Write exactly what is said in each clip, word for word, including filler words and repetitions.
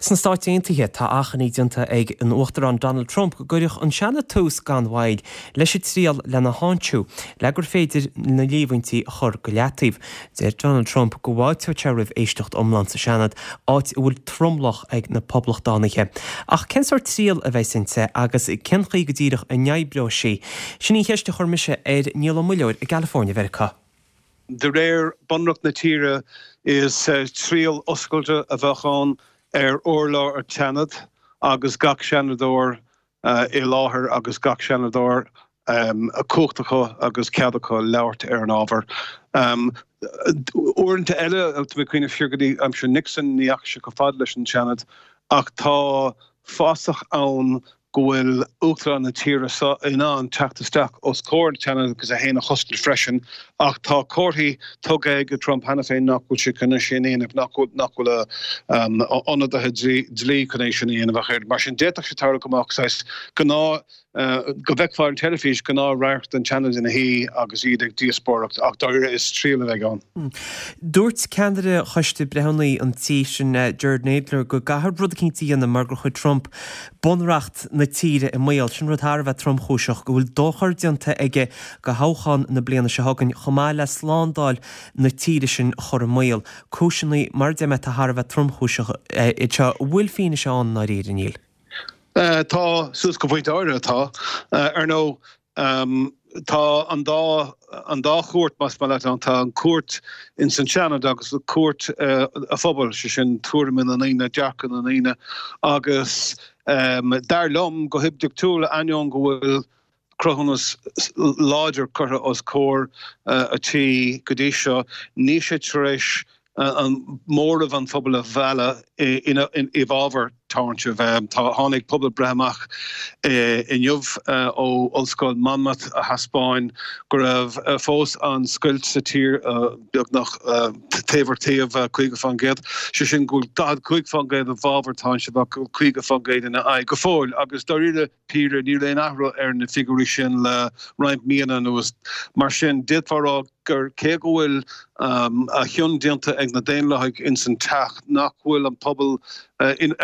Sna Stáit Aontaithe tá achainí déanta ag an Uachtarán Donald Trump go gcuirfeadh an Seanad tús gan mhoill leis an triail lena tháinseamh le gur féidir na líomhaintí a chur go leataobh. Deir Donald Trump go bhfáilteodh sé roimh éisteacht iomlán sa Seanad, áit a bhfuil tromlach ag na Poblachtánaithe. Ach cén sórt triail a bheas inti agus cén chaoi go díreach a n-oibreoidh sí? Sin í an cheist a chuir mise ar Niall Ó Muilleoir i gCalifornia Mheiriceá. De réir bunreacht na tíre is triail oscailte a bheadh ann ar urlár an tSeanaid agus gach seanadóir i láthair agus gach seanadóir cumhacht acu agus cead acu labhairt ar an ábhar. Uaireanta eile, tá mé ag cuimhneamh siar go dtí aimsir Nixon, ní dheachaigh sé chomh fada leis an Seanad ach tá fasach ann go bhfuil Uachtarán na tíre seo in ann teacht isteach os comhair an tSeanaid agus é féin a chosaint freisin ach tá comharthaí tugtha ag Trump cheana féin nach bhfuil sé chun é sin a dhéanamh, nach bhfuil nach bhfuil a ionadaithe dlí chun é sin a dhéanamh ach mar sin d'fhéadfadh sé tarlú go mbeadh saghas gnáth go bhfeicfeá ar an teilifís gnáthradharc den tSeanad ina shuí agus iad ag díospóireacht ach dáiríre is triail a bheidh ann. Dúirt ceannaire Choiste Breithiúnaí an tí sin, Jerrold Nadler, go gcaithfear rud eicínt a dhéanamh mar gur chuir Trump bunreacht na tíre i mbaol. Sin rud thar a bheith tromchúiseach, go bhfuil dochar déanta aige do thoghchán na bliana seo chugainn chomh maith le slándáil na tíre sin a chur i mbaol. Cúiseanna, mar a deir mé, atá thar a bheith tromchúiseach iad seo. An bhfuil fianaise ann i ndáiríre, a Néill? Tá, suas go pointe áirithe tá. Ar ndóigh, tá an dá, an dá chúirt, más maith leat ann, tá an chúirt ins an Seanad agus cúirt an phobail, sé sin tuairimí na ndaoine, dearcadh na ndaoine agus dar liom, go hoibiachtúil, ainneoin go bhfuil cruthúnas láidir curtha os comhair an tí go dtí seo, níl sé tar éis an móramh an phobail a mhealladh i bhfabhar táinsimh. Tá tháinig pobalbhreith amach inniu ó Ollscoil Monmouth a thaispeáin go raibh fós an scoilt sa tír beagnach taobh ar taobh, caoga faoin gcéad, sé sin go bhfuil daichead cúig faoin gcéad i bhfabhar táinsimh ach go bhfuil caoga faoin gcéad ina aghaidh go fóill agus dáiríre píre níl aon athrú ar na figiúirí sin le roinnt míonna anuas. Mar sin, d'fhéadfá a rá gur cé go bhfuil a chion déanta ag na Daonlathaigh ins an teach, nach bhfuil an pobal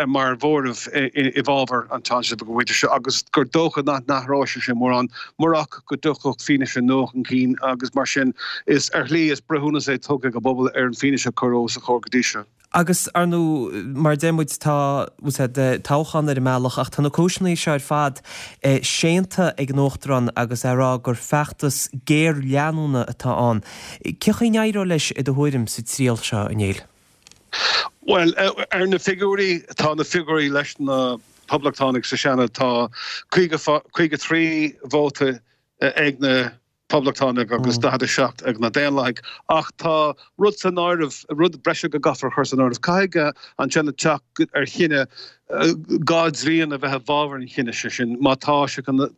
mar mhóramh i bhfabhar an táinsimh go pointe seo agus gur dócha nach n-athróidh sé sin mórán murach go dtiocfadh fianaise nua chun cinn agus mar sin is ar shlí is breithiúnas é tugtha ag an bpobal ar an bhfianaise a cuireadh os a chomhair go dtí seo. Agus, ar ndóigh, mar a deir muid, tá toghchán ar an mbealach ach tá na cúiseanna seo ar fad séanta ag an Uachtarán agus é ag rá gur feachtas géarleanúna atá ann. Cén chaoi a n-éireoidh leis, i do thuairim, sa triail seo, a Néill? Bhuel, ar na figiúirí, tá na figiúirí leis na Poblachtánaigh sa Seanad, tá caoga trí vóta ag na Poblachtánaigh agus daichead a seacht ag na Daonlathaigh. Ach tá rud san áireamh, rud breise go gcaithfear a chur san áireamh. Caithfidh an Seanad teacht ar chinneadh dhá dtrian a bheith i bhfabhar an chinnidh, sé sin, má tá sé chun,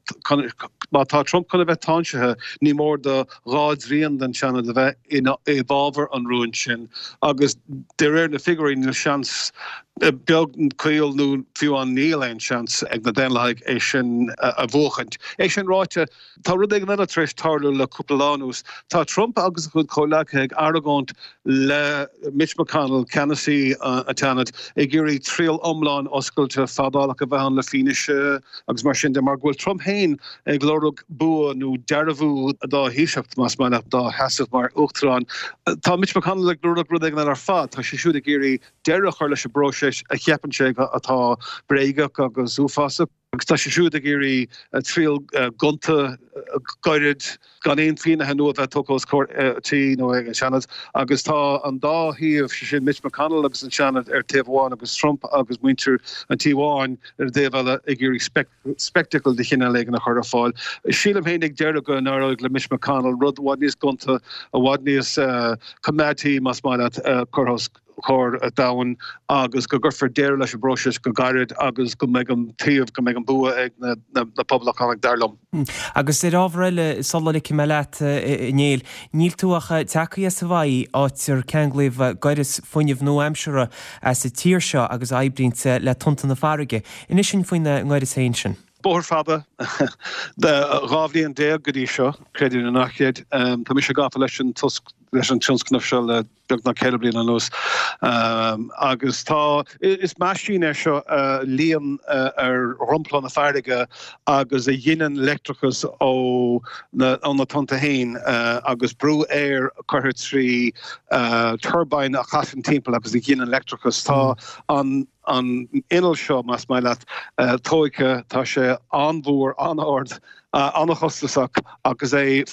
má tá Trump chun a bheith táinsithe, ní mór do dhá dtrian den Seanad a bheith i bhfabhar an rúin sin. Agus de réir na figiúirí, níl seans beag caol nó fiú amháin níl aon seans ag na Daonlathaigh é sin a bhuachaint. É sin ráite, tá rud éigin eile tar éis tarlú le cúpla lá anuas. Tá Trump agus a chuid comhleacaithe ag argóint le Mitch McConnell, ceannasaí an tSeanaid, ag iarraidh triail iomlán oscailte fadálach a bheith ann le fianaise agus mar sin de, mar go bhfuil Trump féin ag lorg bua nó dearbhú dá thaoiseacht, más maith leat, dá sheasamh mar uachtarán. Tá Mitch McConnell ag lorg rud éigin eile ar fad. Tá sé siúd ag iarraidh deireadh a chur leis an bpróiseas a cheapann sé atá bréagach agus uafásach, agus tá sé siúd ag iarraidh triail ghonta gairid gan aon fianaise nua a bheith tugtha os comhair an tí nó ag an Seanad. Agus tá an dá thaobh, sé sin Mitch McConnell agus an Seanad ar taobh amháin agus Trump agus muintir an Tí Bháin ar an dtaobh eile ag iarraidh spectacle de chineál éigin a chur ar fáil. Sílim féin ag deireadh go n-éireoidh le Mitch McConnell rud i bhfad níos gonta, i bhfad níos coimeádaí, más maith leat, a chur os comhair an domhain agus go gcuirfear deireadh leis an bpróiseas go gairid agus go mbeidh an taobh, go mbeidh an bua ag na Poblachtánaigh, dar liom. Agus ar ábhar eile, sula ligfidh mé leat, a Néill, níl tú ach tagtha as Hawaii, áit ar ceanglaíodh gaireas fuinnimh nua-aimseartha sa tír seo agus a oibríonn le tonnta na farraige. Inis dúinn faoina ngaireas féin sin. Bóthar fada de dhá bhliain déag go dtí seo, creid é nó ná creid. Tá mise gafa leis an tionscnamh seo le beagnach ceithre bliana anuas. Agus tá, is meaisín é seo a luíonn ar dhromchla na farraige agus a ghineann leictreachas ó na ó na tonnta féin agus brú aeir curtha trí turbine a chasann timpeall agus a ghineann leictreachas. Tá an an inneall seo, más maith leat, tógtha, tá sé an-mhór, an-ard, an-chostasach agus é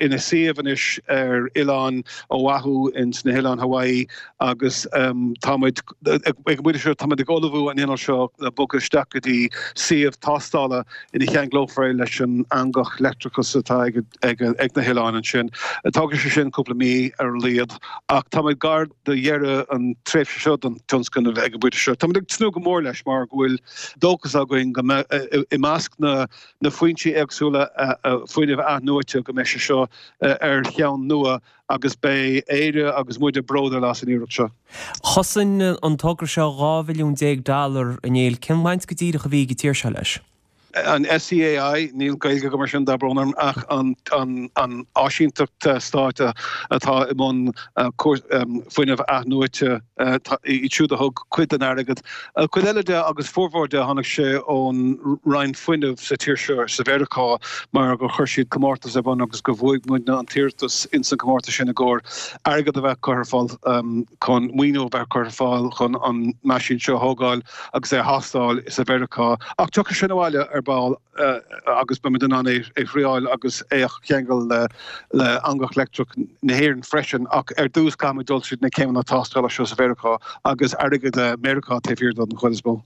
ina suíomh anois ar oileán Oahu ins na hOileáin Hawaii agus táimid ag an bpointe seo, táimid ag ullmhú an innill seo le bogadh isteach go dtí suíomh tástála ina cheanglófar é leis an eangach leictreachais atá ag na hoileáin ansin. Tógfaidh sé sin cúpla mí ar a laghad ach táimid gar do dheireadh an tréimhse seo don tionscnamh ag an bpointe seo. Táimid ag tnúth go mór leis mar go bhfuil dóchas againn go mbeidh i measc na na foinsí éagsúla fuinnimh athnuaite go mbeidh sé seo ar cheann nua agus beidh Éire agus muide bródúil as an iarracht seo. Chosain an togra seo dhá bhilliún déag dollar, a Néill. Cén bhaint go díreach a bhí ag an tír seo leis? An SEAI, níl Gaeilge agam ar sin, tá brón orm, ach an áisínteacht stáit atá i mbun fuinneamh athnuaite, iad siúd a thug cuid den airgead. Cuid eile de, agus formhór de, tháinig sé ón Roinn Fuinnimh sa tír seo, sa Mheiriceá, mar gur chuir siad comórtas ar bun agus gur bhuaigh muidne an t-iarratas ins an comórtas sin i gcomhair airgead a bheith curtha ar fáil chun maoiniú a bheith curtha ar fáil chun an meaisín seo a thógáil agus é a thástáil sa Mheiriceá. Ach tiocfaidh sin abhaile ar ball agus beimid in ann é a thriáil agus é a cheangal le eangach leictreach na hÉireann freisin. Ach ar dtús caithfimid dul tríd na céimeanna tástála seo sa Mheiriceá agus airgead Meiriceá taobh thiar den chuid is mó.